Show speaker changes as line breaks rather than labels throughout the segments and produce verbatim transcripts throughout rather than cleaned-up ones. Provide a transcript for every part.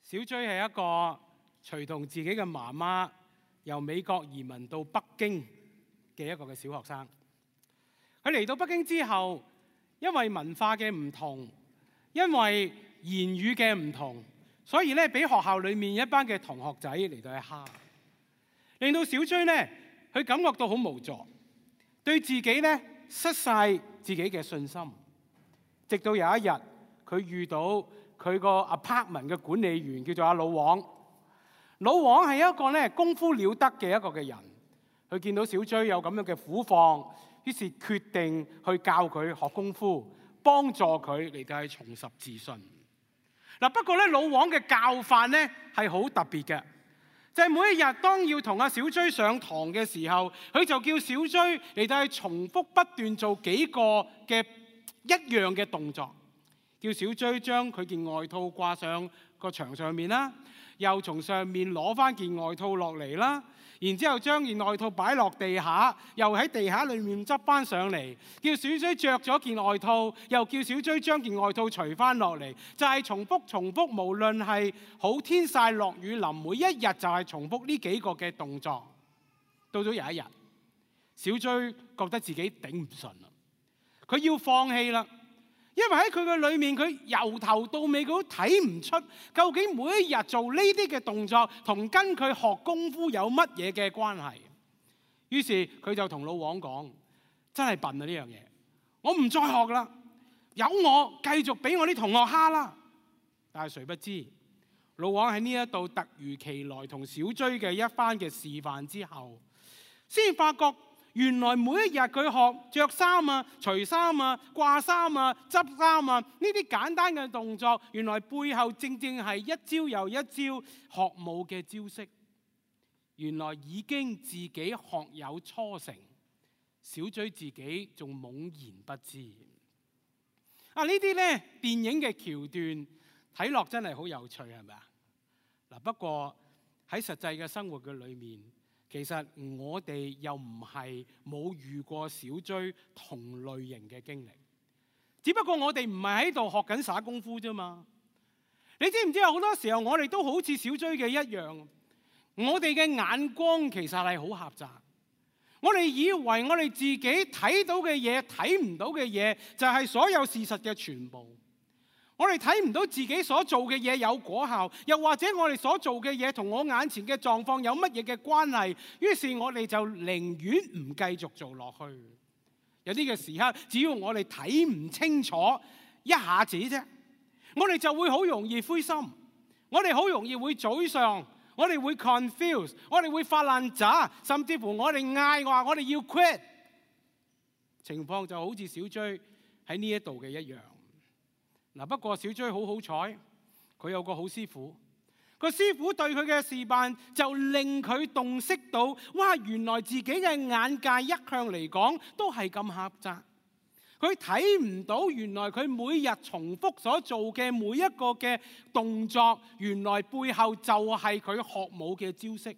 小追係一個隨同自己嘅媽媽由美國移民到北京嘅一個嘅小學生。佢嚟到北京之後，因為文化嘅唔同，因為言語嘅唔同，所以咧俾學校裏面一班嘅同學仔嚟到去蝦，令到小追咧佢感覺到好無助，對自己咧失晒自己嘅信心。直到有一日，佢遇到佢個 apartment 嘅管理員叫做阿老王。老王係一個咧功夫了得嘅一個嘅人，佢見到小追有咁樣嘅苦況，於是決定去教佢學功夫，幫助佢嚟到去重拾自信。嗱，不過咧老王嘅教法咧係好特別嘅，就係每一日當要同阿小追上堂嘅時候，佢就叫小追嚟到去重複不斷做幾個嘅一樣嘅動作，叫小追將佢件外套掛上個牆上面啦，又從上面攞翻件外套落嚟啦，然之後將件外套擺落地下，又喺地下裏面執翻上嚟，叫小追着咗件外套，又叫小追將件外套除翻落嚟，就係重複重複，無論係好天曬落雨淋，每一日就係重複呢幾個嘅動作。到咗有一日，小追覺得自己頂唔順啦，佢要放棄啦。因為喺佢嘅裏面，佢由頭到尾佢都睇唔出究竟每一日做呢啲嘅動作同跟佢學功夫有乜嘢嘅關係。於是佢就同老王講：真係笨啊呢樣嘢，我唔再學啦，由我繼續俾我啲同學蝦啦。但係誰不知，老王喺呢一度突如其來同小追嘅一番嘅示範之後，先發覺原來每一日佢學着衫啊、除衫啊、掛衫啊、執衫啊，呢啲簡單嘅動作，原來背後正正係一招又一招學武嘅招式。原來已經自己學有初成，小追自己仲懵然不知。啊，呢啲咧電影嘅橋段睇落真係好有趣，係咪啊？嗱，不過喺實際嘅生活嘅裏面，其實我哋又唔係冇遇過小追同類型嘅經歷，只不過我哋唔係喺度學緊耍功夫啫嘛。你知唔知有好多時候我哋都好似小追嘅一樣，我哋嘅眼光其實係好狹窄。我哋以為我哋自己睇到嘅嘢、睇唔到嘅嘢就係所有事實嘅全部。我哋睇唔到自己所做嘅嘢有果效，又或者我哋所做嘅嘢同我眼前嘅狀況有乜嘢嘅關係，於是我哋就寧願唔繼續做落去。有啲嘅時刻，只要我哋睇唔清楚一下子啫，我哋就會好容易灰心，我哋好容易會沮喪，我哋會 confuse， 我哋會發爛渣，甚至乎我哋嗌話我哋要 quit。情況就好似小追喺呢一度嘅一樣。嗱，不過小追好好彩，佢有個好師傅。個師傅對佢嘅示範就令佢洞悉到，哇！原來自己嘅眼界一向嚟講都係咁狹窄。佢睇唔到原來佢每日重複所做嘅每一個嘅動作，原來背後就係佢學武嘅招式。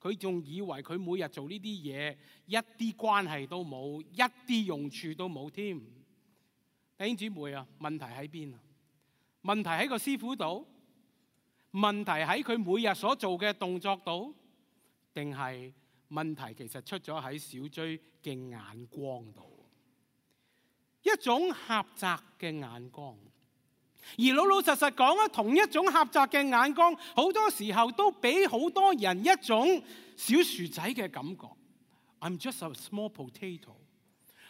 佢仲以為佢每日做呢啲嘢一啲關係都冇，一啲用處都冇添。弟兄姊妹啊，問題喺邊啊？問題喺個師傅度？問題喺佢每日所做嘅動作度？定係問題其實出咗喺小追嘅眼光度？一種狹窄嘅眼光，而老老實實講啊，同一種狹窄嘅眼光，好多時候都俾好多人一種小薯仔嘅感覺。I'm just a small potato。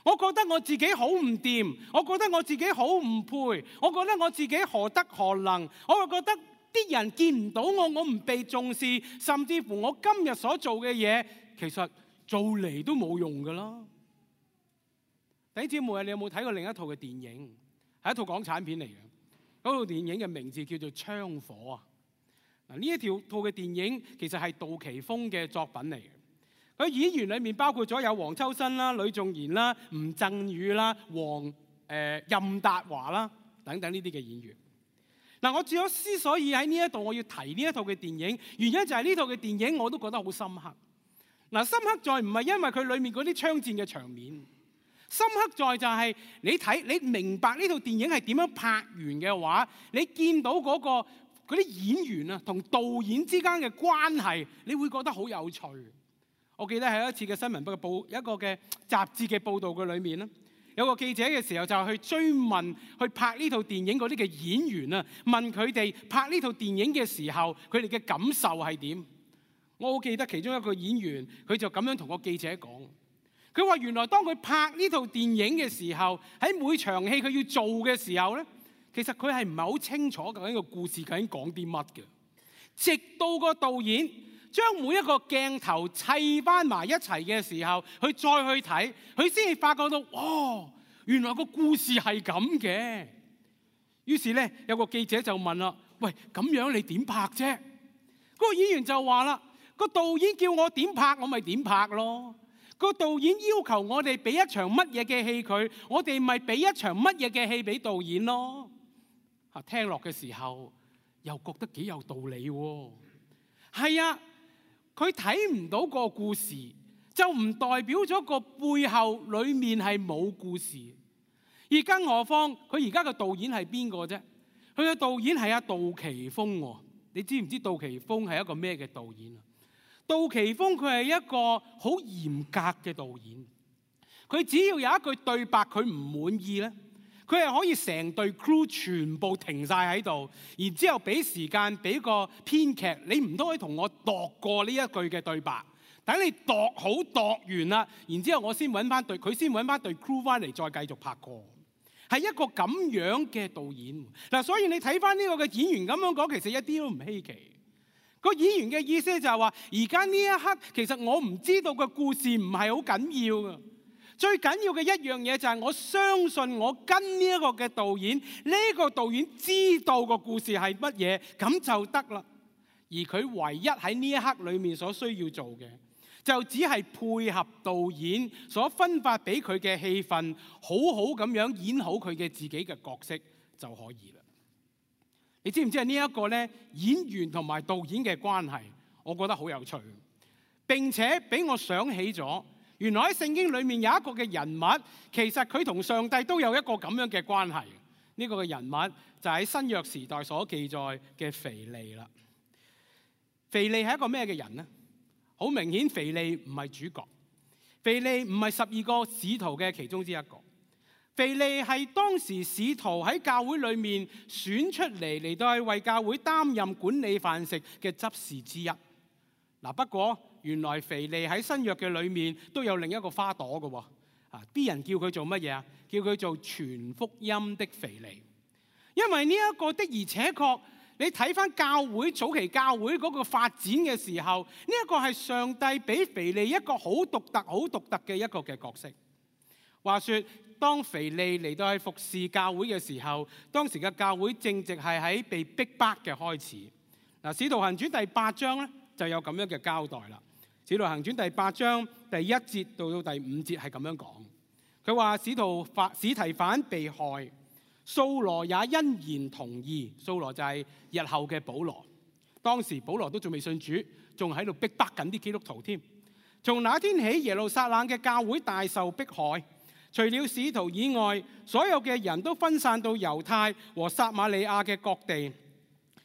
我覺得我自己好唔掂，我覺得我自己好唔配，我覺得我自己何德何能，我又覺得啲人見唔到我，我唔被重視，甚至乎我今日所做嘅嘢，其實做嚟都冇用噶啦。弟兄姊妹，你有冇睇過另一套嘅電影？係一套港產片嚟嘅，嗰套電影嘅名字叫做《槍火》啊。嗱，呢一條套嘅電影其實係杜琪峰嘅作品嚟嘅。佢演員裏面包括咗有黃秋生啦、呂頌賢啦、吳鎮宇啦、黃誒、呃、任達華啦等等呢啲嘅演員。嗱，我主要之所以喺呢一度我要提呢一套嘅電影，原因就係呢套嘅電影我都覺得好深刻。嗱，深刻在唔係因為佢裏面嗰啲槍戰嘅場面，深刻在就係你睇你明白呢套電影係點樣拍完嘅話，你見到嗰個嗰啲演員啊同導演之間嘅關係，你會覺得好有趣。我記得喺一次嘅新聞嘅報，一個嘅雜誌嘅報導嘅裏面咧，有個記者嘅時候就去追問去拍呢套電影嗰啲嘅演員啊，問佢哋拍呢套電影嘅時候，佢哋嘅感受係點？我好記得其中一個演員，佢就咁樣同個記者講，佢話原來當佢拍呢套電影嘅時候，喺每場戲佢要做嘅時候咧，其實佢係唔係好清楚究竟個故事究竟講啲乜嘅，直到個導演將每一個鏡頭砌翻埋一齊嘅時候，佢再去睇，佢先至發覺到，哦，原來個故事係咁嘅。於是咧，有個記者就問啦：喂，咁樣你點拍啫？嗰個演員就話啦：個導演叫我點拍，我咪點拍咯。個導演要求我哋俾一場乜嘢嘅戲佢，我哋咪俾一場乜嘢嘅戲俾導演咯。啊，聽落嘅時候又覺得幾有道理喎。係啊。佢睇唔到個故事，就唔代表咗個背後裡面係冇故事。而更何況佢而家嘅導演係邊個啫？佢嘅導演係阿杜琪峰喎。你知唔知杜琪峰係一個咩嘅導演啊？杜琪峰佢係一個好嚴格嘅導演。佢只要有一句對白佢唔滿意咧，佢係可以成隊 crew 全部停晒喺度，然之後俾時間俾個編劇，你唔都可以同我度過呢一句嘅對白，等你度好度完啦，然之後我先揾翻隊，佢先揾翻隊 crew 翻嚟再繼續拍過，係一個咁樣嘅導演嗱。所以你睇翻呢個嘅演員咁樣講，其實一啲都唔稀奇。個演員嘅意思就係話，而家呢一刻其實我唔知道個故事唔係好緊要噶。最緊要嘅一樣嘢就係我相信我跟呢一個嘅導演，呢個導演知道個故事係乜嘢，咁就得啦。而佢唯一喺呢一刻裏面所需要做嘅，就只係配合導演所分發俾佢嘅戲份，好好咁樣演好佢嘅自己嘅角色就可以啦。你知唔知係呢一個咧演員同埋導演嘅關係？我覺得好有趣，並且俾我想起咗。原來喺聖經裏面有一個嘅人物，其實佢同上帝都有一個咁樣嘅關係。呢個嘅人物就喺新約時代所記載嘅腓利啦。腓利係一個咩嘅人呢？好明顯，腓利唔係主角，腓利唔係十二個使徒嘅其中之一個。腓利係當時使徒喺教會裏面選出嚟嚟到去為教會擔任管理飯食嘅執事之一。嗱，不過原來腓利喺新約嘅裏面都有另一個花朵嘅喎，啊，啲人叫佢做乜嘢啊？叫佢做傳福音的腓利，因為呢一個的而且確，你睇翻教會早期教會嗰個發展嘅時候，呢一個係上帝俾腓利一個好獨特、好獨特嘅一個嘅角色。話說當腓利嚟到去服侍教會嘅時候，當時嘅教會正值係喺被逼迫嘅開始。嗱，《使徒行傳》第八章咧，就有咁樣嘅交代啦。《使徒行傳》第八章第一節到到第五節係咁樣講，佢話使徒法司提反被害，掃羅也欣然同意。掃羅就係日後嘅保羅，當時保羅都仲未信主，仲喺度逼迫緊啲基督徒添。從那天起，耶路撒冷嘅教會大受迫害，除了使徒以外，所有嘅人都分散到猶太和撒瑪利亞嘅各地。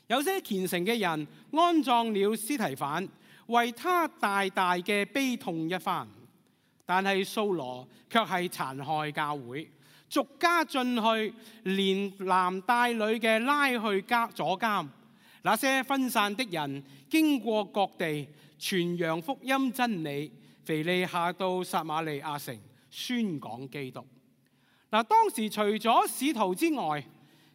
有些虔誠嘅人安葬了司提反，為他大大嘅悲痛一番。但係掃羅卻係殘害教會，逐家進去，連男帶女嘅拉去坐監。那些分散的人經過各地傳揚福音真理，腓利下到撒瑪利亞城宣講基督。嗱，當時除咗使徒之外，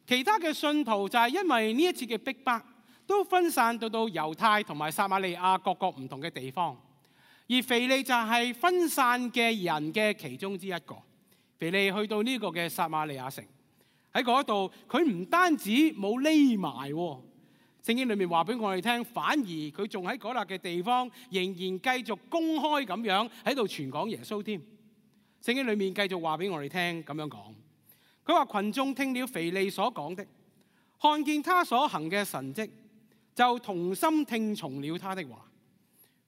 其他嘅信徒就係因為呢一次嘅逼迫，都分散到到猶太同埋撒瑪利亞各個唔同嘅地方。而腓利就係分散嘅人嘅其中之一個。腓利去到呢個嘅撒瑪利亞城，喺嗰度佢唔單止冇匿埋，聖經裏面話俾我哋聽，反而佢仲喺嗰笪嘅地方仍然繼續公開咁樣喺度傳講耶穌添。聖經裏面繼續話俾我哋聽咁樣講。佢話群眾聽了腓利所講的，看見他所行嘅神蹟，就同心聽從了他的話。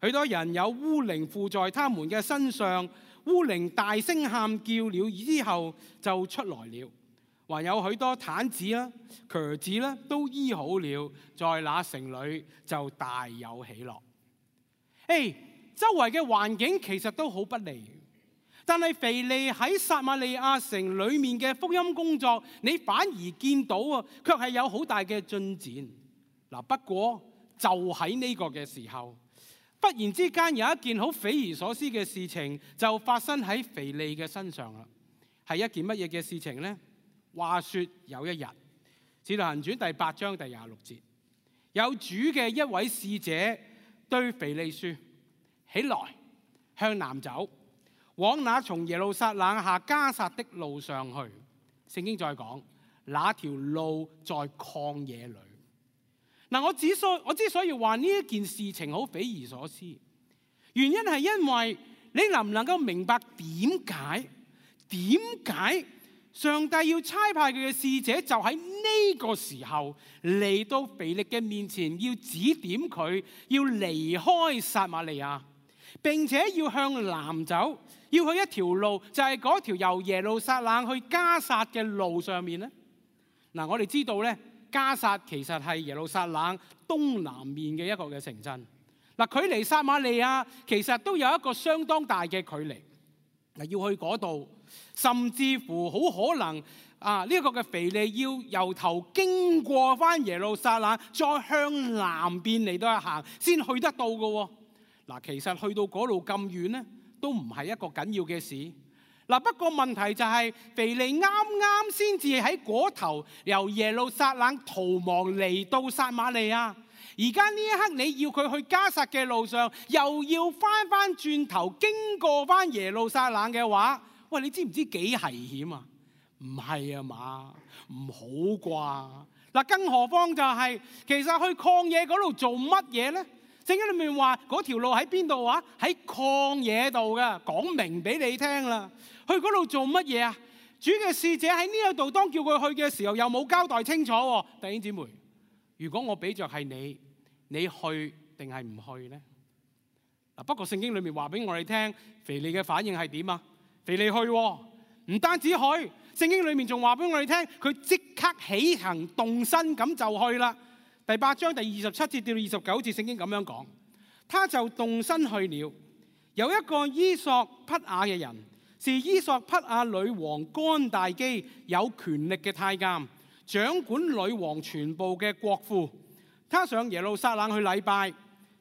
許多人有污靈附在他們嘅身上，污靈大聲喊叫了之後就出來了，還有許多癱子啦、瘸子啦，都醫好了，在那城裏就大有喜樂。誒，周圍嘅環境其實都好不利，但係腓利喺撒瑪利亞城裏面嘅福音工作，你反而見到啊，卻係有好大嘅進展。嗱，不過就喺呢個嘅時候，忽然之間有一件好匪夷所思嘅事情就發生喺腓利嘅身上啦。係一件乜嘢嘅事情呢？話說有一日，《使徒行傳》第八章第廿六節，有主嘅一位使者對腓利說：起來，向南走，往那從耶路撒冷下迦撒的路上去。聖經再講，那條路在曠野裏。嗱，我之所我之所以話呢一件事情好匪夷所思，原因係因為你能唔能夠明白點解？點解上帝要差派佢嘅使者就喺呢個時候嚟到腓力嘅面前，要指點佢要離開撒瑪利亞，並且要向南走，要去一條路，就係嗰條由耶路撒冷去迦撒嘅路上面呢？嗱，我哋知道咧，迦撒其實係耶路撒冷東南面嘅一個嘅城鎮。嗱，距離撒瑪利亞其實都有一個相當大嘅距離。嗱，要去嗰度，甚至乎好可能啊！呢、這、一個嘅腓利要由頭經過翻耶路撒冷，再向南邊嚟到行，先去得到嘅。嗱，其實去到嗰度咁遠呢，都唔係一個緊要嘅事。嗱，不過問題就係、是、腓利啱啱先至喺嗰頭由耶路撒冷逃亡嚟到撒瑪利亞。而家呢一刻你要佢去迦撒嘅路上，又要翻翻轉頭經過翻耶路撒冷嘅話，喂，你知唔知幾危險啊？唔係啊嘛，唔好啩。嗱，更何況就係、是、其實去曠野嗰度做乜嘢咧？聖經裏面話嗰條路喺邊度啊？喺曠野度嘅，講明俾你聽啦。去嗰度做乜嘢啊？主嘅使者喺呢一度當叫佢去嘅時候，又冇交代清楚。弟兄姊妹，如果我俾着係你，你去定係唔去呢？嗱，不過聖經裏面話俾我哋聽，腓利嘅反應係點啊？腓利去，唔單止去，聖經裏面仲話俾我哋聽，佢即刻起行動身咁就去啦。第八章第二十七節到二十九節，聖經咁樣講，他就動身去了。有一個伊索匹亞嘅人，是伊索匹亞女王干大基有權力嘅太監，掌管女王全部嘅國庫。他上耶路撒冷去禮拜，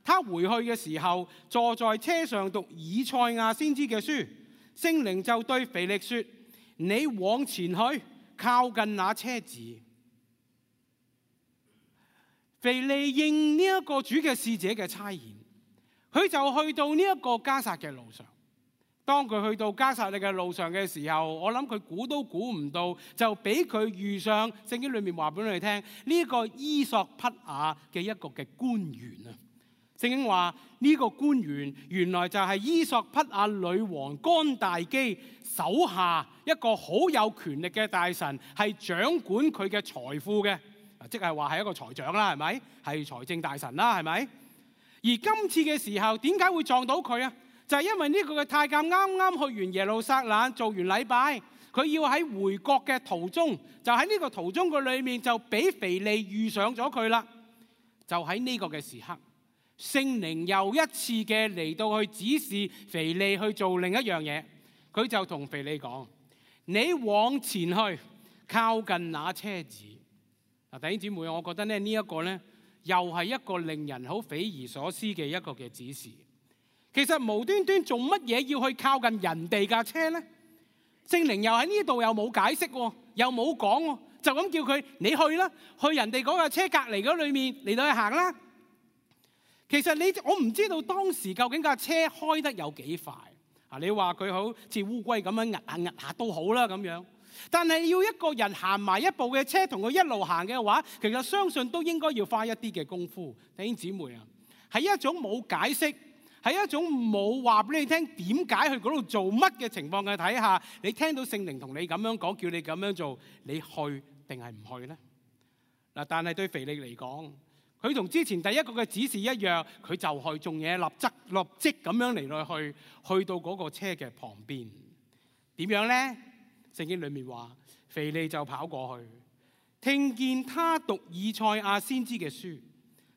他回去嘅時候，坐在車上讀以賽亞先知嘅書，聖靈就對腓力說：你往前去，靠近那車子。腓利應呢一個主嘅使者嘅差遣，佢就去到呢一個迦撒嘅路上。當佢去到迦撒嘅路上嘅時候，我諗佢估都估唔到，就俾佢遇上聖經裏面話俾我哋聽呢一個伊索匹亞嘅一個嘅官員啊。聖經話呢、這個官員原來就係伊索匹亞女王干大基手下一個好有權力嘅大臣，係掌管佢嘅財富嘅，即係話係一個財長啦，係咪？係財政大臣啦，係咪？而今次嘅時候，點解會撞到佢啊？就係因為呢個嘅太監啱啱去完耶路撒冷做完禮拜，佢要喺回國嘅途中，就喺呢個途中嘅裏面就俾腓利遇上咗佢啦。就喺呢個嘅時刻，聖靈又一次嘅嚟到去指示腓利去做另一樣嘢，佢就同腓利講：你往前去，靠近那車子。嗱，弟兄姊妹，我覺得咧呢一個咧又係一個令人好匪夷所思嘅一個嘅指示。其實無端端做乜嘢要去靠近人哋架車呢？聖靈又喺呢度又冇解釋，又冇講，就咁叫佢你去啦，去人哋嗰架車隔離嗰裏面嚟到去行啦。其實你我唔知道當時究竟架車開得有幾快啊？你話佢好似烏龜咁樣壓下壓下都好啦咁樣，但係要一個人行埋一步嘅車同佢一路行嘅話，其實相信都應該要花一啲嘅功夫。弟兄姊妹啊，係一種冇解釋，係一種冇話俾你聽點解去嗰度做乜嘅情況嘅睇下，你聽到聖靈同你咁樣講，叫你咁樣做，你去定係唔去呢？嗱，但係對腓利嚟講，佢同之前第一個嘅指示一樣，佢就去做嘢，立即立即咁樣嚟到去，去到嗰個車嘅旁邊。點樣呢？聖經裏面話，腓利就跑過去，聽見他讀以賽亞先知嘅書，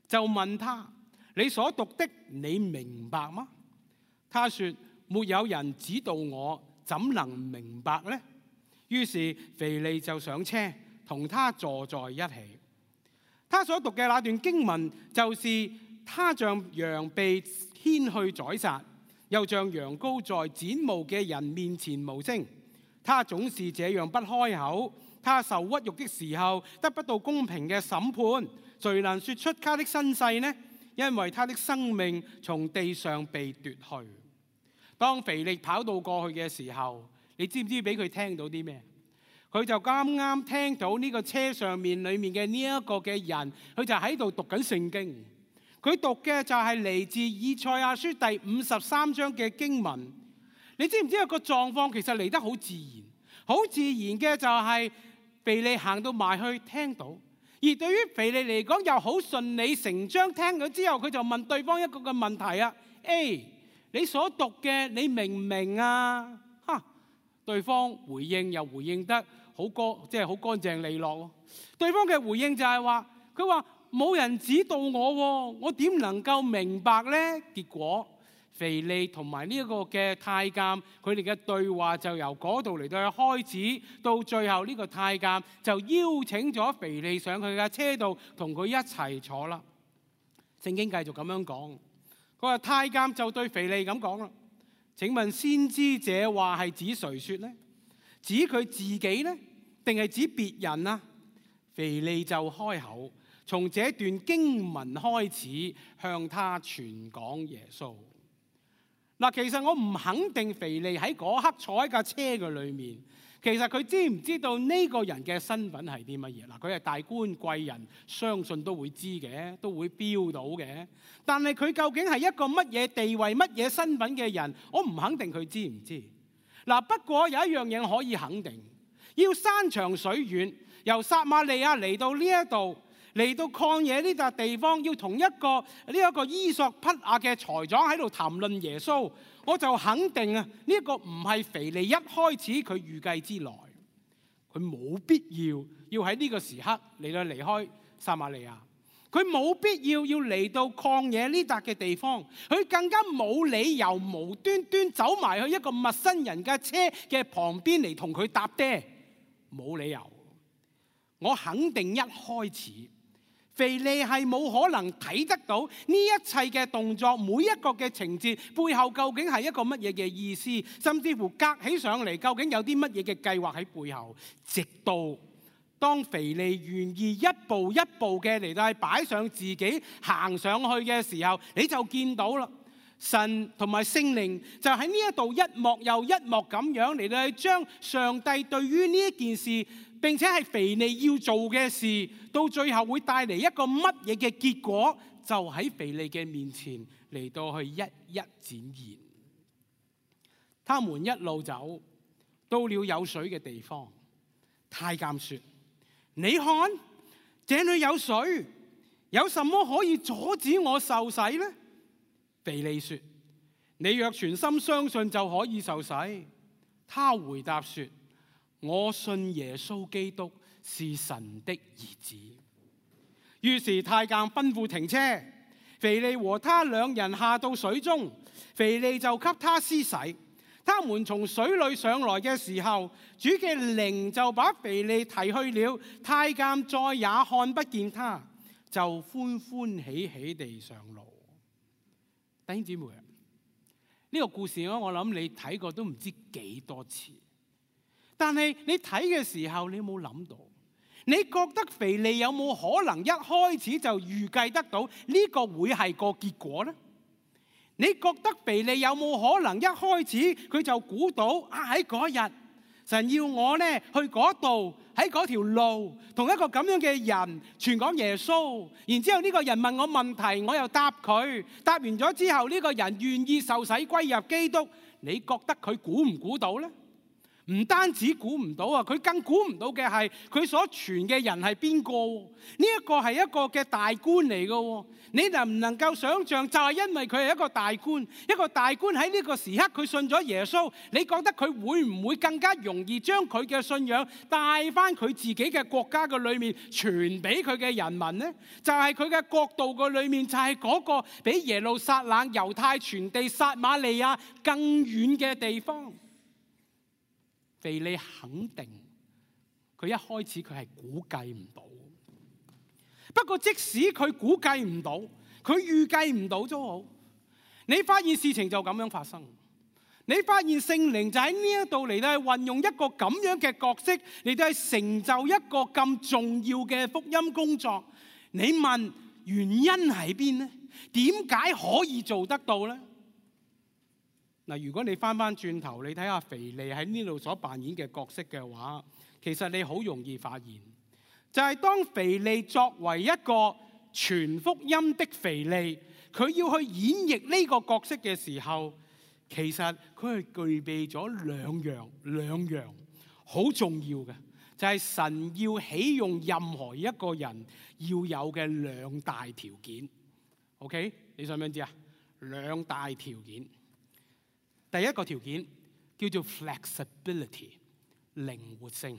就問他：你所讀的，你明白嗎？他說：沒有人指導我，怎能明白呢？於是腓利就上車，同他坐在一起。他所讀嘅那段經文，就是他像羊被牽去宰殺，又像羊羔在剪毛嘅人面前無聲。他總是這樣不開口。他受屈辱的時候，得不到公平嘅審判。誰能說出他的身世呢？因為他的生命從地上被奪去。當腓力跑到過去嘅時候，你知唔知俾佢聽到啲咩？佢就啱啱聽到呢個車上面裏面嘅呢一個嘅人，佢就喺度讀緊聖經。佢讀嘅就係嚟自以賽亞書第五十三章嘅經文。你知唔知有個狀況其實嚟得好自然？好自然嘅就係腓利行到埋去聽到，而對於腓利嚟講又好順理成章。聽咗之後，佢就問對方一個嘅問題啊 ：A， 你所讀嘅你明唔明啊？哈！對方回應又回應得好乾，即係好乾淨利落。對方嘅回應就係話：佢話冇人指導我，我點能夠明白呢？結果腓利同埋呢一個嘅太監，佢哋嘅對話就由嗰度嚟到去開始，到最後呢個太監就邀請咗腓利上佢嘅車度，同佢一齊坐啦。聖經繼續咁樣講，佢話太監就對腓利咁講啦：請問先知這話係指誰說呢？指佢自己呢，定係指別人啊？腓利就開口，從這段經文開始向他傳講耶穌。嗱，其實我唔肯定腓利喺嗰刻坐喺架車嘅裏面，其實佢知唔知道呢個人嘅身份係啲乜嘢？嗱，佢係大官貴人，相信都會知嘅，都會標到嘅。但係佢究竟係一個乜嘢地位、乜嘢身份嘅人，我唔肯定佢知唔知。嗱，不過有一樣嘢可以肯定，要山長水遠，由撒瑪利亞嚟到呢一度。嚟到曠野呢笪地方，要同一個呢一個伊索匹亞嘅財長喺度談論耶穌，我就肯定啊，呢一個唔係腓利一開始佢預計之內，佢冇必要要喺呢個時刻嚟到離開撒瑪利亞，佢冇必要要嚟到曠野呢笪嘅地方，佢更加冇理由無端端走埋去一個陌生人嘅車嘅旁邊嚟同佢搭爹，冇理由。我肯定一開始腓利係冇可能睇得到呢一切嘅動作，每一個嘅情節背後究竟係一個乜嘢嘅意思，甚至乎隔起上嚟究竟有啲乜嘢嘅計劃喺背後。直到當腓利願意一步一步嘅嚟到擺上自己行上去嘅時候，你就見到啦，神同埋聖靈就喺呢一度一幕又一幕咁樣嚟到將上帝對於呢一件事，並且係腓利要做嘅事，到最後會帶嚟一個乜嘢嘅結果，就喺腓利嘅面前嚟到去一一展現。他們一路走到了有水嘅地方，太監說：你看，這裏有水，有什麼可以阻止我受洗呢？腓利說：你若全心相信就可以受洗。他回答說：我信耶穌基督是神的兒子。於是太監吩咐停車，腓利和他兩人下到水中，腓利就給他施洗。他們從水裏上來嘅時候，主嘅靈就把腓利提去了，太監再也看不見他，就歡歡喜喜地上路。弟兄姊妹，呢個故事我我諗你睇過都唔知幾多次。但係你睇嘅時候，你有冇諗到？你覺得腓利有冇可能一開始就預計得到呢個會係個結果呢？你覺得腓利有冇可能一開始佢就估到啊，喺嗰日神要我呢去嗰度，喺嗰條路同一個咁樣嘅人傳講耶穌，然之後呢個人問我問題，我又答佢，答完咗之後呢個人願意受洗歸入基督，你覺得佢估唔估到呢？唔單止估唔到啊，佢更估唔到嘅係佢所傳嘅人係邊個？呢一個係一個嘅大官嚟嘅。你能唔能夠想像？就係因為佢係一個大官，一個大官喺呢個時刻佢信咗耶穌，你覺得佢會唔會更加容易將佢嘅信仰帶翻佢自己嘅國家嘅裏面傳俾佢嘅人民呢？就係佢嘅國度嘅裏面，就係嗰個比耶路撒冷、猶太全地、撒瑪利亞更遠嘅地方。腓利肯定佢一開始佢係估計唔到，不過即使佢估計唔到，佢預計唔到都好，你發現事情就咁樣發生，你發現聖靈就喺呢一度嚟到係運用一個咁樣嘅角色嚟到係成就一個咁重要嘅福音工作。你問原因喺邊呢？點解可以做得到呢？嗱，如果你翻翻轉頭，你睇下腓利喺呢度所扮演嘅角色嘅話，其實你好容易發現，就係當腓利作為一個傳福音的腓利，佢要去演繹呢個角色嘅時候，其實佢係具備咗兩樣兩樣好重要嘅，就係神要起用任何一個人要有嘅兩大條件。OK， 你想唔想知啊？兩大條件。第一個條件叫做 flexibility， 靈活性。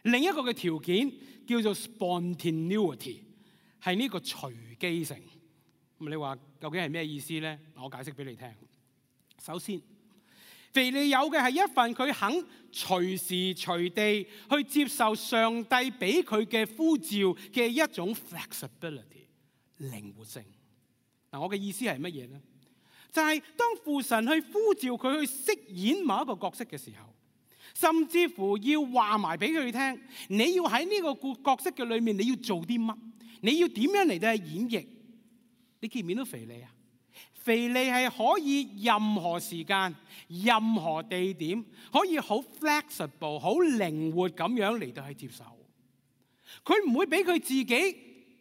另一個嘅條件叫做 spontaneity， 係呢個隨機性。咁你話究竟係咩意思呢？我解釋俾你聽。首先，腓利有嘅係一份佢肯隨時隨地去接受上帝俾佢嘅呼召嘅一種 flexibility， 靈活性。嗱，我嘅意思係乜嘢呢？就係當父神去呼召佢去飾演某一個角色嘅時候，甚至乎要話埋俾佢聽，你要喺呢個角色嘅裏面，你要做啲乜？你要點樣嚟到去演繹？你見唔見到腓利啊？腓利係可以任何時間、任何地點，可以好 flexible、好靈活咁樣嚟到去接受。佢唔會俾佢自己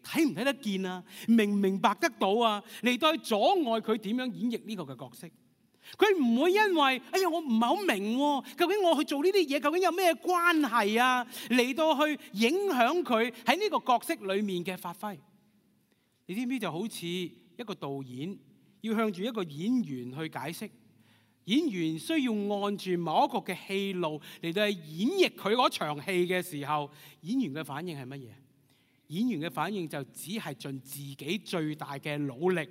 睇唔睇得見啊？明唔明白得到啊？嚟到去阻礙佢點樣演繹呢個嘅角色。佢唔會因為哎呀我唔係好明喎，究竟我去做呢啲嘢究竟有咩關係啊？嚟到去影響佢喺呢個角色裡面嘅發揮。你知唔知就好似一個導演要向住一個演員去解釋，演員需要按住某一個嘅戲路嚟到去演繹佢嗰場戲嘅時候，演員嘅反應係乜嘢？演員嘅反應就只係盡自己最大嘅努力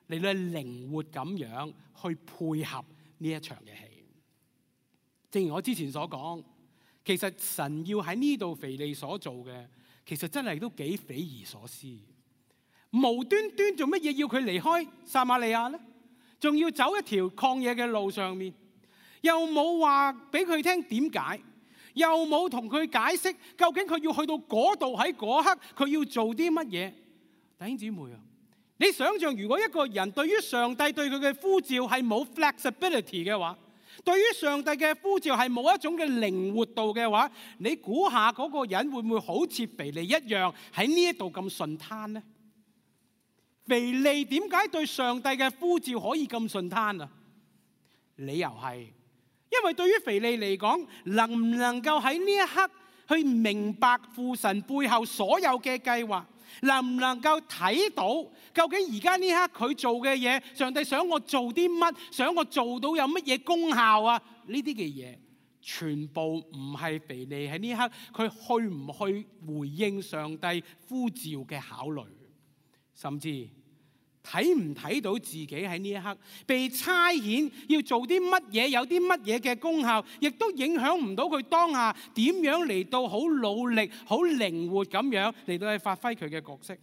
嚟到靈活咁樣去配合呢一場嘅戲。正如我之前所講，其實神要喺呢度腓利所做嘅，其實真係都幾匪夷所思。無端端做乜嘢要佢離開撒瑪利亞呢？仲要走一條曠野嘅路上面，又冇話俾佢聽點解，又冇同佢解釋究竟佢要去到嗰度喺嗰刻佢要做啲乜嘢。弟兄姊妹啊，你想象如果一個人對於上帝對佢嘅呼召係冇 flexibility 嘅話，對於上帝嘅呼召係冇一種嘅靈活度嘅話，你估下嗰個人會唔會好似腓利一樣喺呢一度咁順攤呢？腓利點解對上帝嘅呼召可以咁順攤啊？理由係因為對於腓利嚟講，能唔能夠喺呢一刻去明白父神背後所有嘅計劃，能唔能夠睇到究竟而家呢刻佢做嘅嘢，上帝想我做啲乜，想我做到有乜嘢功效啊？呢啲嘅嘢全部唔係腓利喺呢刻佢去唔去回應上帝呼召嘅考慮。甚至睇唔睇到自己喺呢一刻被差遣要做啲乜嘢，有啲乜嘢嘅功效，亦都影響唔到佢當下點樣嚟到好努力、好靈活咁樣嚟到去發揮佢嘅角色。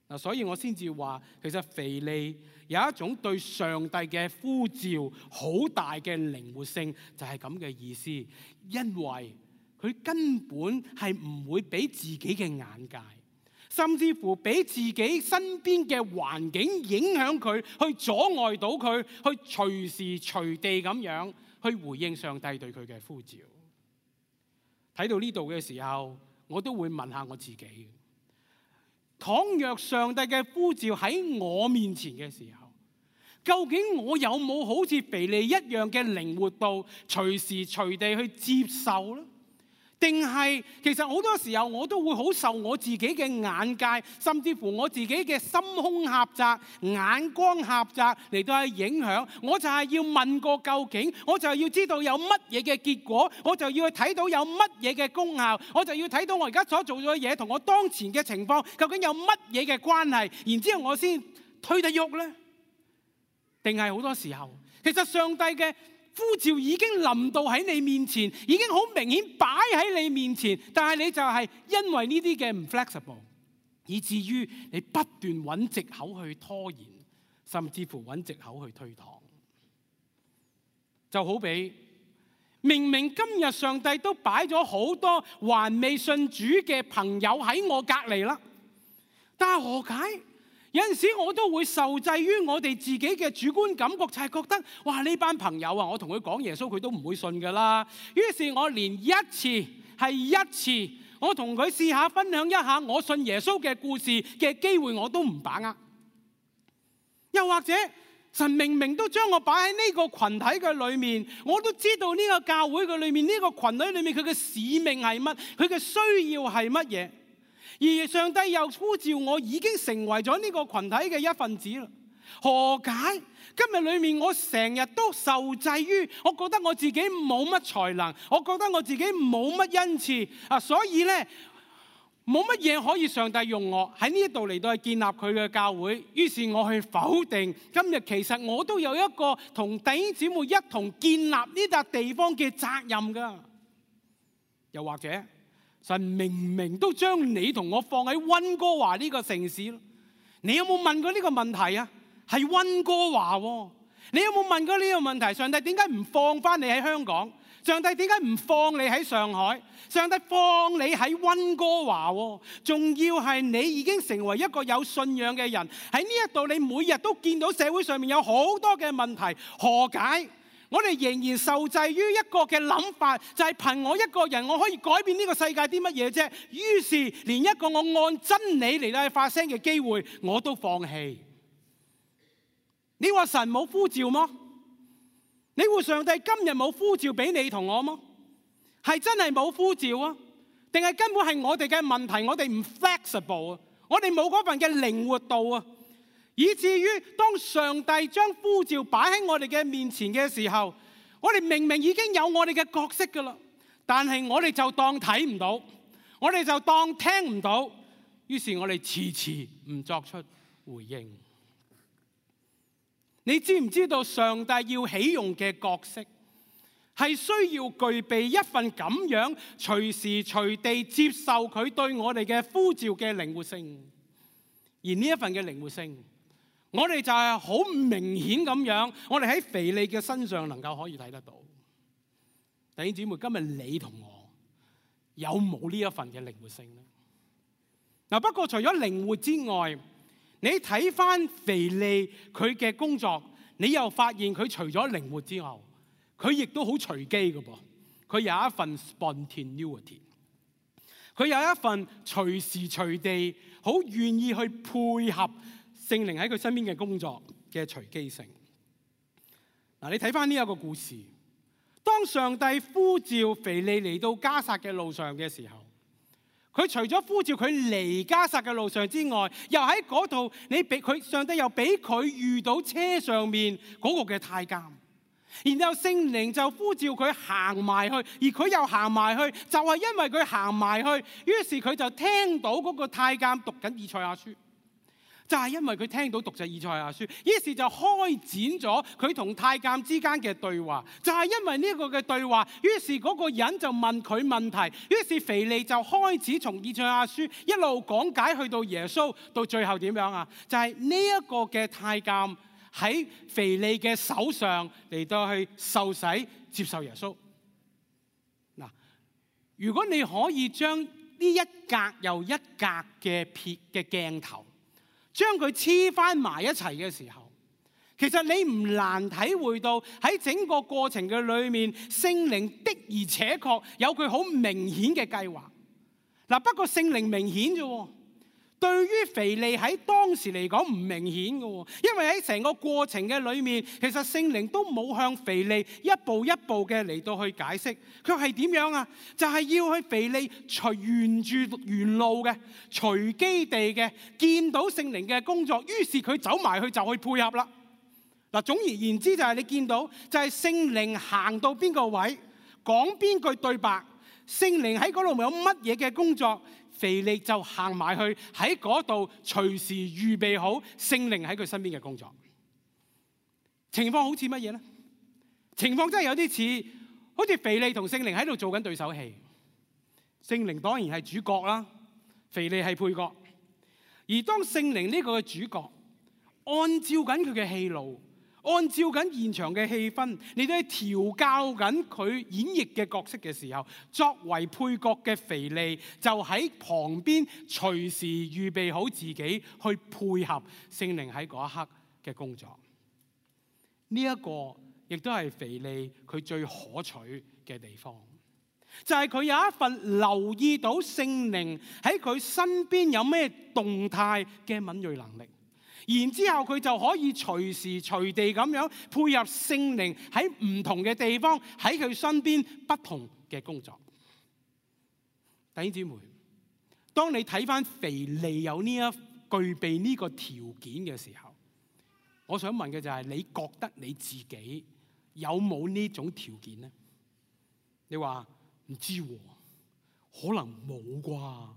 嗱，所以我先至話，其實腓利有一種對上帝嘅呼召好大嘅靈活性，就係咁嘅意思。因為佢根本係唔會俾自己嘅眼界，甚至乎俾自己身邊嘅環境影響佢，去阻礙到佢，去隨時隨地咁樣去回應上帝對佢嘅呼召。睇到呢度嘅時候，我都會問下我自己：倘若上帝嘅呼召喺我面前嘅時候，究竟我有冇好似腓利一樣嘅靈活度，隨時隨地去接受呢？定係其實好多時候我都會好受我自己嘅眼界，甚至乎我自己嘅心胸狹窄、眼光狹窄嚟到去影響。我就係要問個究竟，我就係要知道有乜嘢嘅結果，我就要去睇到有乜嘢嘅功效，我就要睇到我而家所做咗嘅嘢同我當前嘅情況究竟有乜嘢嘅關係，然之後我先推得喐呢？定係好多時候，其實上帝嘅呼召已經臨到喺你面前，已經好明顯擺喺你面前，但係你就係因為呢啲嘅唔 flexible， 以至於你不斷揾藉口去拖延，甚至乎揾藉口去推搪。就好比明明今日上帝都擺咗好多還未信主嘅朋友喺我隔離啦，但係何解？有陣時我都會受制於我哋自己嘅主觀感覺，就係覺得哇，呢班朋友啊，我同佢講耶穌佢都唔會信噶啦。於是我連一次係一次，我同佢試下分享一下我信耶穌嘅故事嘅機會我都唔把握。又或者神明明都將我擺喺呢個群體嘅裏面，我都知道呢個教會嘅裏面，呢個群體裏面佢嘅使命係乜，佢嘅需要係乜嘢。而上帝又呼召我，已經成為咗呢個群體嘅一份子啦。何解今日裏面我成日都受制於，我覺得我自己冇乜才能，我覺得我自己冇乜恩賜啊，所以呢，冇乜嘢可以上帝用我喺呢度嚟到去建立佢嘅教會。於是我去否定今日其實我都有一個同弟兄姊妹一同建立呢笪地方嘅責任㗎。又或者神明明都將你同我放喺溫哥華呢個城市咯，你有冇問過呢個問題啊？係溫哥華喎，你有冇問過呢個問題？上帝點解唔放翻你喺香港？上帝點解唔放你喺上海？上帝放你喺溫哥華喎，仲要係你已經成為一個有信仰嘅人喺呢一度，你每日都見到社會上面有好多嘅問題，何解？我哋仍然受制於一個嘅諗法，就係憑我一個人，我可以改變呢個世界啲乜嘢啫？於是連一個我按真理嚟到去發聲嘅機會，我都放棄。你話神冇呼召嗎？你話上帝今日冇呼召俾你同我嗎？係真係冇呼召啊？定係根本係我哋嘅問題？我哋唔 flexible 啊？我哋冇嗰份嘅靈活度啊？以至於當上帝將呼召擺喺我哋嘅面前嘅時候，我哋明明已經有我哋嘅角色噶啦，但係我哋就當睇唔到，我哋就當聽唔到，於是我哋遲遲唔作出回應。你知唔知道上帝要起用嘅角色係需要具備一份咁樣隨時隨地接受佢對我哋嘅呼召嘅靈活性？而呢一份嘅靈活性，我哋就係好明顯咁樣，我哋喺腓利嘅身上能夠可以睇得到。弟兄姊妹，今日你同我有冇呢一份嘅靈活性呢？嗱，不過除咗靈活之外，你睇翻腓利佢嘅工作，你又發現佢除咗靈活之後，佢亦都好隨機嘅噃。佢有一份 spontaneity， 佢有一份隨時隨地好願意去配合聖靈喺佢身邊嘅工作嘅隨機性。嗱，你睇翻呢一個故事，當上帝呼召腓利嚟到迦薩嘅路上嘅時候，佢除咗呼召佢嚟迦薩嘅路上之外，又喺嗰度，你俾佢上帝又俾佢遇到車上面嗰個嘅太監，然後聖靈就呼召佢行埋去，而佢又行埋去，就係因為佢行埋去，於是佢就聽到嗰個太監讀緊以賽亞書。就係因為佢聽到讀咗以賽亞書，於是就開展咗佢同太監之間嘅對話。就係因為呢個嘅對話，於是嗰個人就問佢問題，於是腓利就開始從以賽亞書一路講解去到耶穌，到最後點樣啊？就係呢一個嘅太監喺腓利嘅手上嚟到去受洗接受耶穌。嗱，如果你可以將呢一格又一格嘅撇嘅鏡頭，將佢黐翻埋一齊嘅時候，其實你唔難體會到喺整個過程嘅裏面，聖靈的而且確有佢好明顯嘅計劃。嗱，不過聖靈明顯啫，對於腓利喺當時嚟講唔明顯嘅，因為喺成個過程嘅裏面，其實聖靈都冇向腓利一步一步嘅嚟到去解釋，佢係點樣啊？就係要去腓利隨沿住原路嘅、隨機地嘅見到聖靈嘅工作，於是佢走埋去就去配合啦。嗱，總而言之就係你見到就係聖靈行到邊個位，講邊句對白，聖靈喺嗰度有乜嘢嘅工作，腓利就行埋去喺嗰度，隨時預備好聖靈喺佢身邊嘅工作。情況好似乜嘢呢？情況真係有啲似，好似腓利同聖靈喺度做緊對手戲。聖靈當然係主角啦，腓利係配角。而當聖靈呢個嘅主角，按照緊佢嘅戲路，按照緊現場嘅氣氛，你都係調教緊佢演繹嘅角色嘅時候，作為配角嘅腓利就喺旁邊隨時預備好自己去配合聖靈喺嗰一刻嘅工作。呢、這、一個亦都係腓利佢最可取嘅地方，就係、是、佢有一份留意到聖靈喺佢身邊有咩動態嘅敏銳能力。然之後佢就可以隨時隨地咁樣配合聖靈喺唔同嘅地方喺佢身邊不同嘅工作。弟兄姊妹，當你睇翻腓利有呢一具備呢個條件嘅時候，我想問嘅就係、是、你覺得你自己有冇呢種條件呢？你話唔知喎，可能冇啩？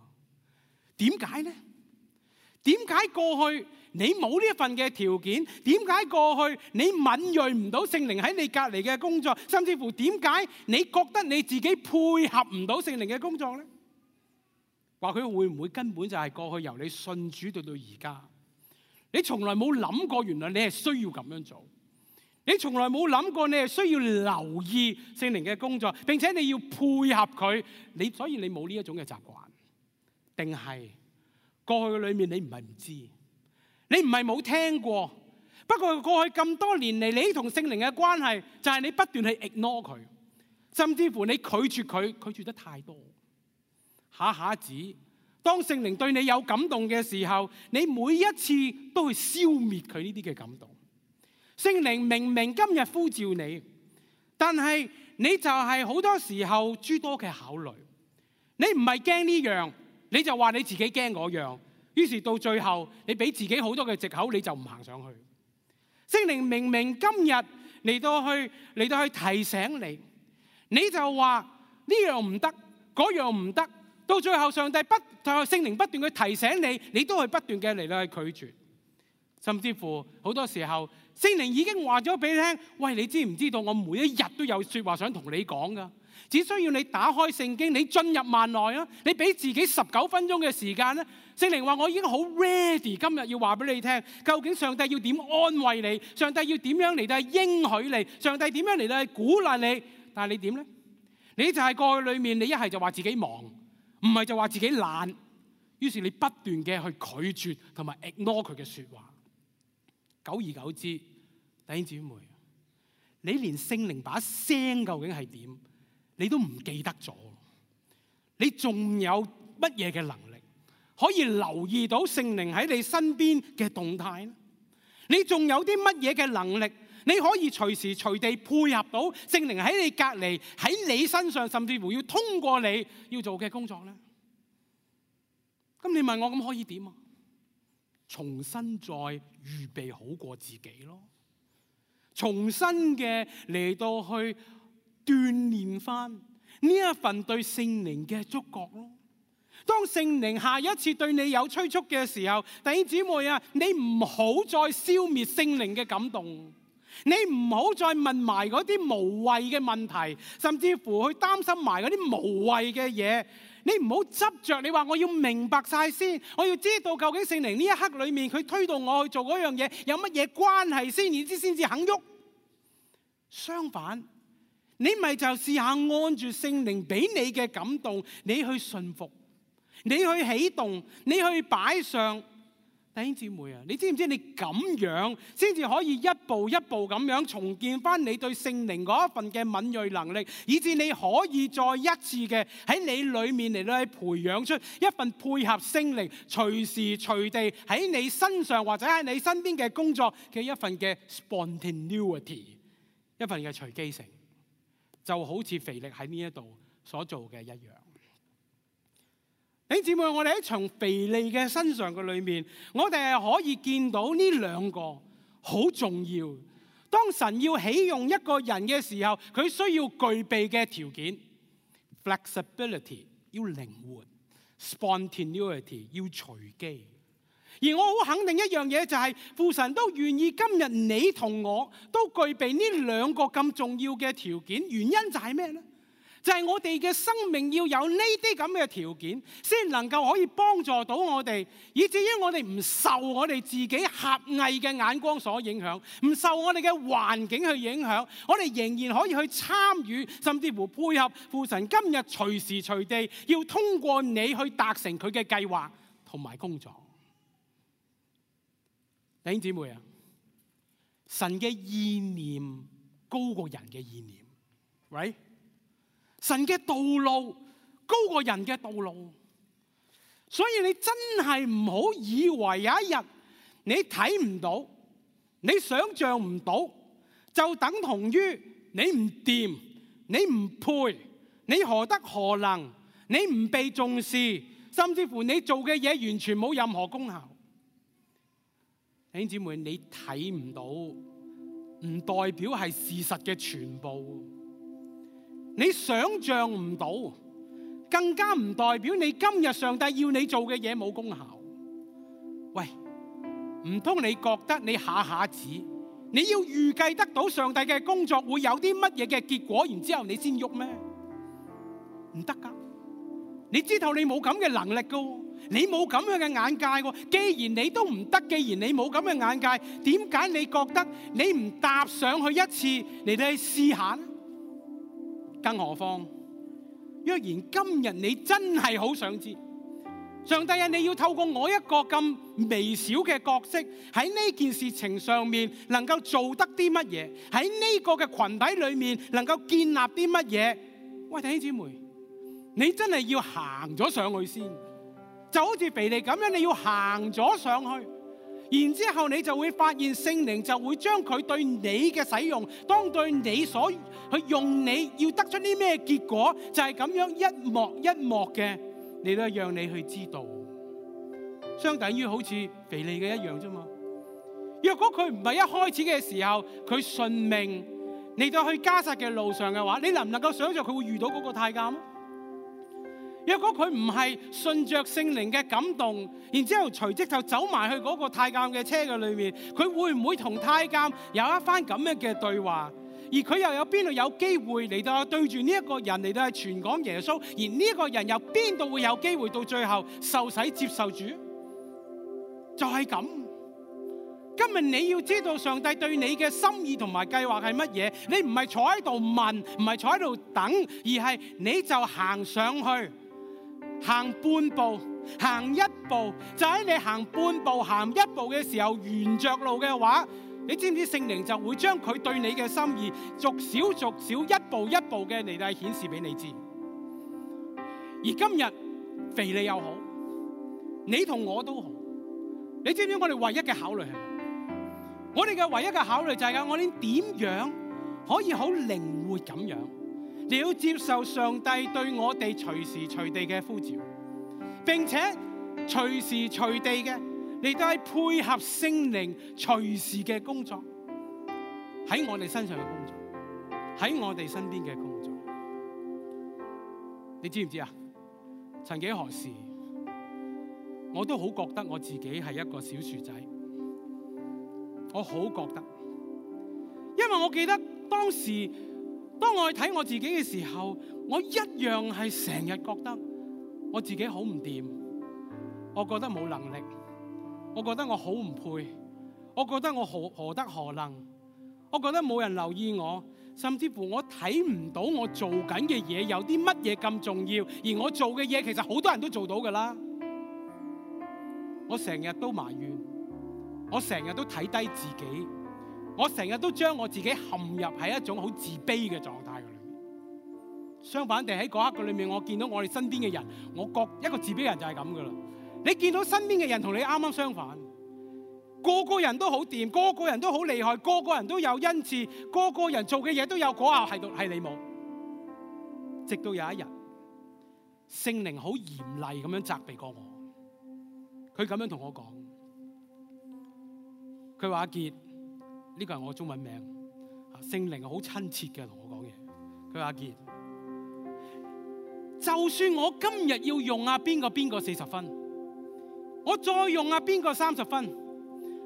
點解呢？點解過去你冇呢一份嘅條件？點解過去你敏銳唔到聖靈喺你隔離嘅工作？甚至乎點解你覺得你自己配合唔到聖靈嘅工作呢？話佢會唔會根本就係過去由你信主到到而家，你從來冇諗過原來你係需要咁樣做，你從來冇諗過你係需要留意聖靈嘅工作，並且你要配合佢，你所以你冇呢一種嘅習慣，定係過去嘅裏面你唔係唔知，你唔係冇聽過，不過過去咁多年嚟，你同聖靈嘅關係就係你不斷去 ignore 佢，甚至乎你拒絕佢，拒絕得太多。下下子當聖靈對你有感動嘅時候，你每一次都去消滅佢呢啲嘅感動。聖靈明明今日呼召你，但係你就係好多時候諸多嘅考慮，你唔係驚呢樣，你就話你自己驚嗰樣，於是到最後你俾自己好多嘅藉口，你就唔行上去。聖靈明明今日嚟到去嚟到去提醒你，你就話呢樣唔得，嗰樣唔得，到最後上帝不就係聖靈不斷去提醒你，你都係不斷嘅嚟到去拒絕，甚至乎好多時候聖靈已經話咗俾你聽，喂，你知唔知道我每一日都有說話想同你講噶？只需要你打開聖經，你進入幔內啊，你俾自己十九分鐘嘅時間咧。聖靈話我已經好 ready， 今日要話俾你聽，究竟上帝要點安慰你，上帝要點樣嚟到應許你，上帝點樣嚟到鼓勵你，但係你點咧？你就係過去裏面，你一係就話自己忙，唔係就話自己懶，於是你不斷嘅去拒絕同埋 ignore 佢嘅說話。久而久之，弟兄姊妹，你連聖靈把聲究竟係點，你都唔記得咗，你仲有乜嘢嘅能力可以留意到聖靈喺你身邊嘅動態呢？你仲有啲乜嘢嘅能力，你可以隨時隨地配合到聖靈喺你隔離，喺你身上，甚至乎要通過你要做嘅工作呢？咁你問我咁可以點啊？重新再預備好過自己咯，重新嘅嚟到去鍛鍊翻呢一份對聖靈嘅觸覺咯。當聖靈下一次對你有催促嘅時候，弟兄姊妹啊，你唔好再消滅聖靈嘅感動，你唔好再問埋嗰啲無謂嘅問題，甚至乎去擔心埋嗰啲無謂嘅嘢。你唔好執着，你話我要明白晒先，我要知道究竟聖靈呢一刻裏面佢推動我去做嗰樣嘢有乜嘢關係先，然之先至肯喐。相反，你咪就試下按住聖靈俾你嘅感動，你去順服，你去起動，你去擺上，弟兄姊妹啊，你知唔知你咁樣先至可以一步一步咁樣重建翻你對聖靈嗰一份嘅敏銳能力，以致你可以再一次嘅喺你裏面嚟到去培養出一份配合聖靈隨時隨地喺你身上或者喺你身邊嘅工作嘅一份嘅 spontaneity， 一份嘅隨機性，就好似腓力喺呢一度所做嘅一樣。弟兄姊妹，我哋喺從腓利嘅身上嘅裏面，我哋係可以見到呢兩個好重要。當神要起用一個人嘅時候，佢需要具備嘅條件 ：flexibility 要靈活 ，spontaneity 要隨機。而我好肯定一樣嘢，就係父神都願意今日你同我都具備呢兩個咁重要嘅條件。原因就係咩呢？就係我哋嘅生命要有呢啲咁嘅條件，先能夠可以幫助到我哋，以至於我哋唔受我哋自己狹隘嘅眼光所影響，唔受我哋嘅環境去影響，我哋仍然可以去參與，甚至乎配合父神今日隨時隨地要通過你去達成佢嘅計劃同埋工作。弟兄姊妹啊，神嘅意念高過人嘅意念 ，right？神嘅道路高過人嘅道路，所以你真係唔好以為有一日你睇唔到，你想象唔到，就等同於你唔掂，你唔配，你何德何能，你唔被重視，甚至乎你做嘅嘢完全冇任何功效。弟兄姊妹，你睇唔到，唔代表係事實嘅全部。你想象唔到，更加唔代表你今日上帝要你做嘅嘢冇功效。喂，唔通你覺得你下下子你要預計得到上帝嘅工作會有啲乜嘢嘅結果，然之後你先喐咩？唔得噶！你知道你冇咁嘅能力噶，你冇咁樣嘅眼界。既然你都唔得，既然你冇咁嘅眼界，點解你覺得你唔踏上去一次嚟到去試下呢？更何況，若然今日你真係好想知，上帝啊，你要透過我一個咁微小嘅角色喺呢件事情上面能夠做得啲乜嘢？喺呢個嘅群體裏面能夠建立啲乜嘢？喂，弟兄姊妹，你真係要行咗上去先，就好似腓利咁樣，你要行咗上去。然之後你就會發現聖靈就會將佢對你嘅使用，當對你所去用，你要得出啲咩結果，就係咁樣一幕一幕嘅嚟到讓你去知道，相等於好似腓利嘅一樣啫嘛。若果佢唔係一開始嘅時候佢順命嚟到去迦薩嘅路上嘅話，你能唔能夠想象佢會遇到嗰個太監？若果佢唔係順着聖靈嘅感動，然之後隨即就走埋去嗰個太監嘅車嘅裏面，佢會唔會同太監有一番咁樣嘅對話？而佢又有邊度有機會嚟到對住呢一個人嚟到去傳講耶穌？而呢一個人又邊度會有機會到最後受洗接受主？就係咁。今日你要知道上帝對你嘅心意同埋計劃係乜嘢？你唔係坐喺度問，唔係坐喺度等，而係你就行上去。行半步，行一步，就喺你行半步、行一步嘅時候，沿着路嘅話，你知唔知聖靈就會將佢對你嘅心意逐少逐少、一步一步嘅嚟到顯示俾你知。而今日腓利又好，你同我都好，你知唔知我哋唯一嘅考慮係咩？我哋嘅唯一嘅考慮就係我哋點樣可以好靈活咁樣，你要接受上帝對我哋隨時隨地嘅呼召，並且隨時隨地嘅嚟到係配合聖靈隨時嘅工作，喺我哋身上嘅工作，喺我哋身邊嘅工作。你知唔知啊？曾幾何時，我都好覺得我自己係一個小薯仔，我好覺得，因為我記得當時。當我去睇我自己嘅時候，我一樣係成日覺得我自己好唔掂，我覺得冇能力，我覺得我好唔配，我覺得我何何德何能，我覺得冇人留意我，甚至乎我睇唔到我做緊嘅嘢有啲乜嘢咁重要，而我做嘅嘢其實好多人都做到㗎啦。我成日都埋怨，我成日都睇低自己，我成日都將我自己陷入喺一種好自卑嘅狀態嘅裏面。相反地喺嗰刻嘅裏面，我見到我哋身邊嘅人，我覺一個自卑人就係咁噶啦。你見到身邊嘅人同你啱啱相反，個個人都好掂，個個人都好厲害，個個人都有恩賜，個個人做嘅嘢都有果效，係係你冇。直到有一日，聖靈好嚴厲咁樣責備過我，佢咁樣同我講，佢話阿傑，呢個係我中文名，聖靈好親切嘅同我講嘢。佢話阿傑，就算我今日要用啊邊個邊個四十分，我再用啊邊個三十分，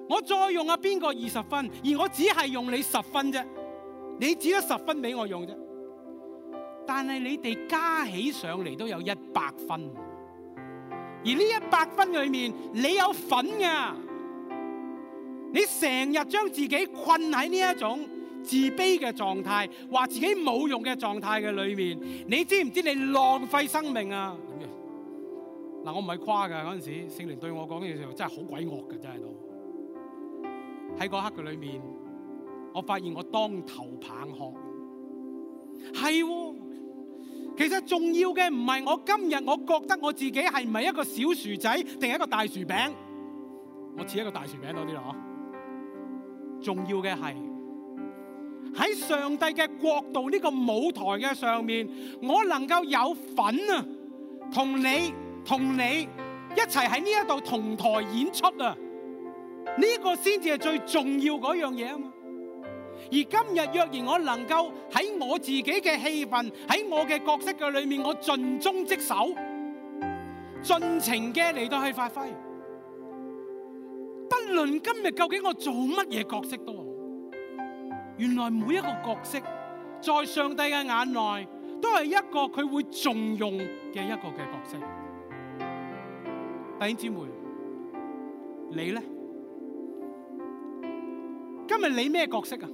我再用啊邊個二十分，而我只係用你十分啫，你只得十分俾我用啫。但係你哋加起上嚟都有一百分，而呢一百分裏面你有份㗎。你成日將自己困喺呢一種自卑嘅狀態，話自己冇用嘅狀態嘅裏面，你知唔知你浪費生命啊？嗱，我唔係誇㗎，嗰陣時聖靈對我講嘅時候真係好鬼惡㗎，真係都喺嗰刻嘅裏面，我發現我當頭棒喝，係喎。其實重要嘅唔係我今日我覺得我自己係唔係一個小薯仔定係一個大薯餅，我似一個大薯餅多啲咯。重要嘅係喺上帝嘅國度呢個舞台嘅上面，我能夠有份啊，同你同你一齊喺呢一度同台演出啊，呢個先至係最重要嗰樣嘢啊嘛。而今日若然我能夠喺我自己嘅戲份，喺我嘅角色嘅裏面，我盡忠職守，盡情嘅嚟到去發揮，不論今日究竟我做乜嘢角色都好，原來每一個角色在上帝嘅眼內都係一個佢會重用嘅一個嘅角色。弟兄姊妹，你呢？今日你咩角色啊？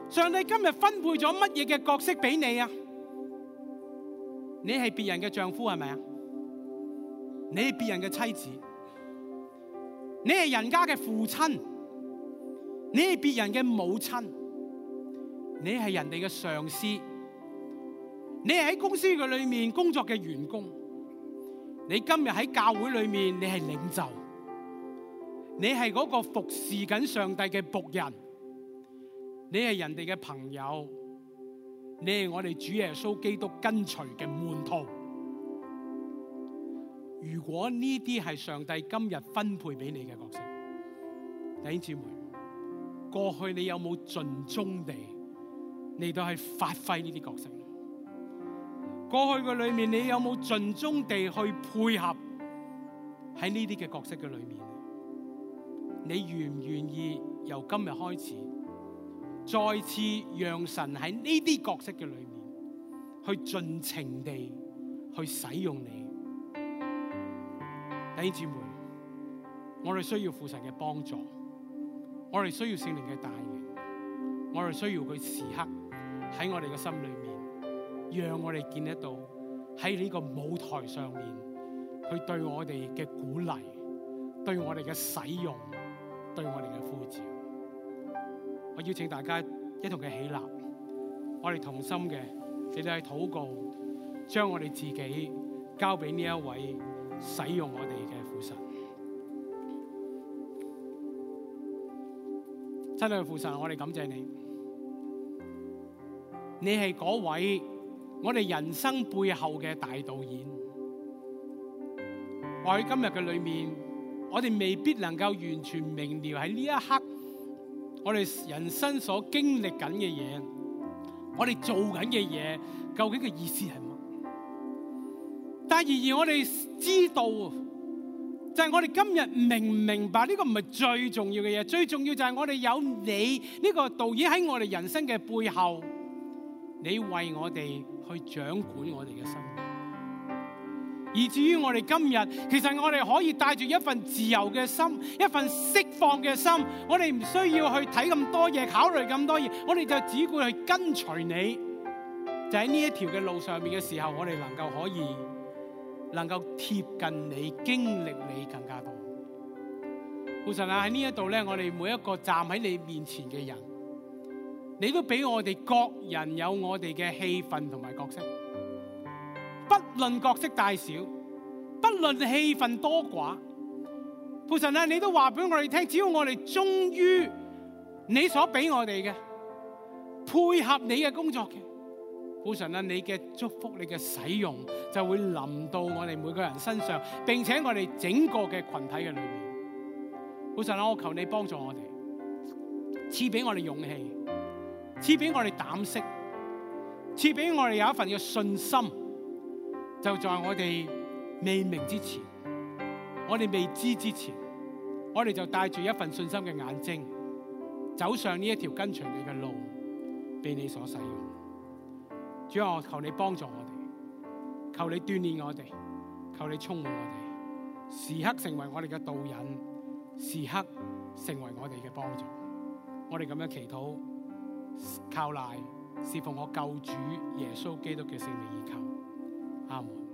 上帝今日分配咗乜嘢嘅角色俾你啊？你係別人嘅丈夫係咪啊？你係別人嘅妻子，你係人家嘅父親，你係別人嘅母親，你係人哋嘅上司，你係喺公司嘅裏面工作嘅員工，你今日喺教會裏面你係領袖，你係嗰個服侍緊上帝嘅僕人。你係人哋嘅朋友，你係我哋主耶穌基督跟隨嘅門徒。如果呢啲係上帝今日分配俾你嘅角色，弟兄姊妹，過去你有冇盡忠地嚟到去發揮呢啲角色？過去嘅裏面你有冇盡忠地去配合喺呢啲嘅角色嘅裏面？你願唔願意由今日開始，再次讓神喺呢啲角色嘅裏面，去盡情地去使用你？弟兄姊妹，我哋需要父神嘅幫助，我哋需要聖靈嘅帶領，我哋需要佢時刻喺我哋嘅心裏面，讓我哋見得到喺呢個舞台上面，佢對我哋嘅鼓勵，對我哋嘅使用，對我哋嘅呼召。我邀請大家一同嘅起立，我哋同心嘅，你哋去禱告，將我哋自己交俾呢一位使用我哋嘅父神。親愛嘅父神，我哋感謝你，你係嗰位我哋人生背後嘅大導演。或喺今日嘅裏面，我哋未必能夠完全明了喺呢一刻我哋人生所經歷緊嘅嘢，我哋做緊嘅嘢究竟嘅意思係乜？但係然而我哋知道，就係我哋今日明唔明白呢個唔係最重要嘅嘢，最重要就係我哋有你呢個導演喺我哋人生嘅背後，你為我哋去掌管我哋嘅生命。以至於我哋今日，其實我哋可以帶住一份自由嘅心，一份釋放嘅心，我哋唔需要去睇咁多嘢，考慮咁多嘢，我哋就只顧去跟隨你。就喺呢一條嘅路上面嘅時候，我哋能夠可以能夠貼近你、經歷你更加多。父神啊，喺呢一度咧，我哋每一個站喺你面前嘅人，你都俾我哋各人有我哋嘅戲份同埋角色，不論角色大小，不論戲份多寡。父神啊，你都話俾我哋聽，只要我哋忠於你所俾我哋嘅，配合你嘅工作嘅，父神啊，你嘅祝福、你嘅使用就會臨到我哋每個人身上，並且我哋整個嘅群體嘅裏面。父神啊，我求你幫助我哋，賜俾我哋勇氣，賜俾我哋膽識，賜俾我哋有一份嘅信心，就在我哋未明之前，我哋未知之前，我哋就帶住一份信心嘅眼睛，走上呢一條跟隨你嘅路，被你所使用。主啊，我求你幫助我哋，求你鍛鍊我哋，求你充滿我哋，時刻成為我哋嘅導引，時刻成為我哋嘅幫助。我哋咁樣祈禱，靠賴侍奉我救主耶穌基督嘅聖名而求，阿門。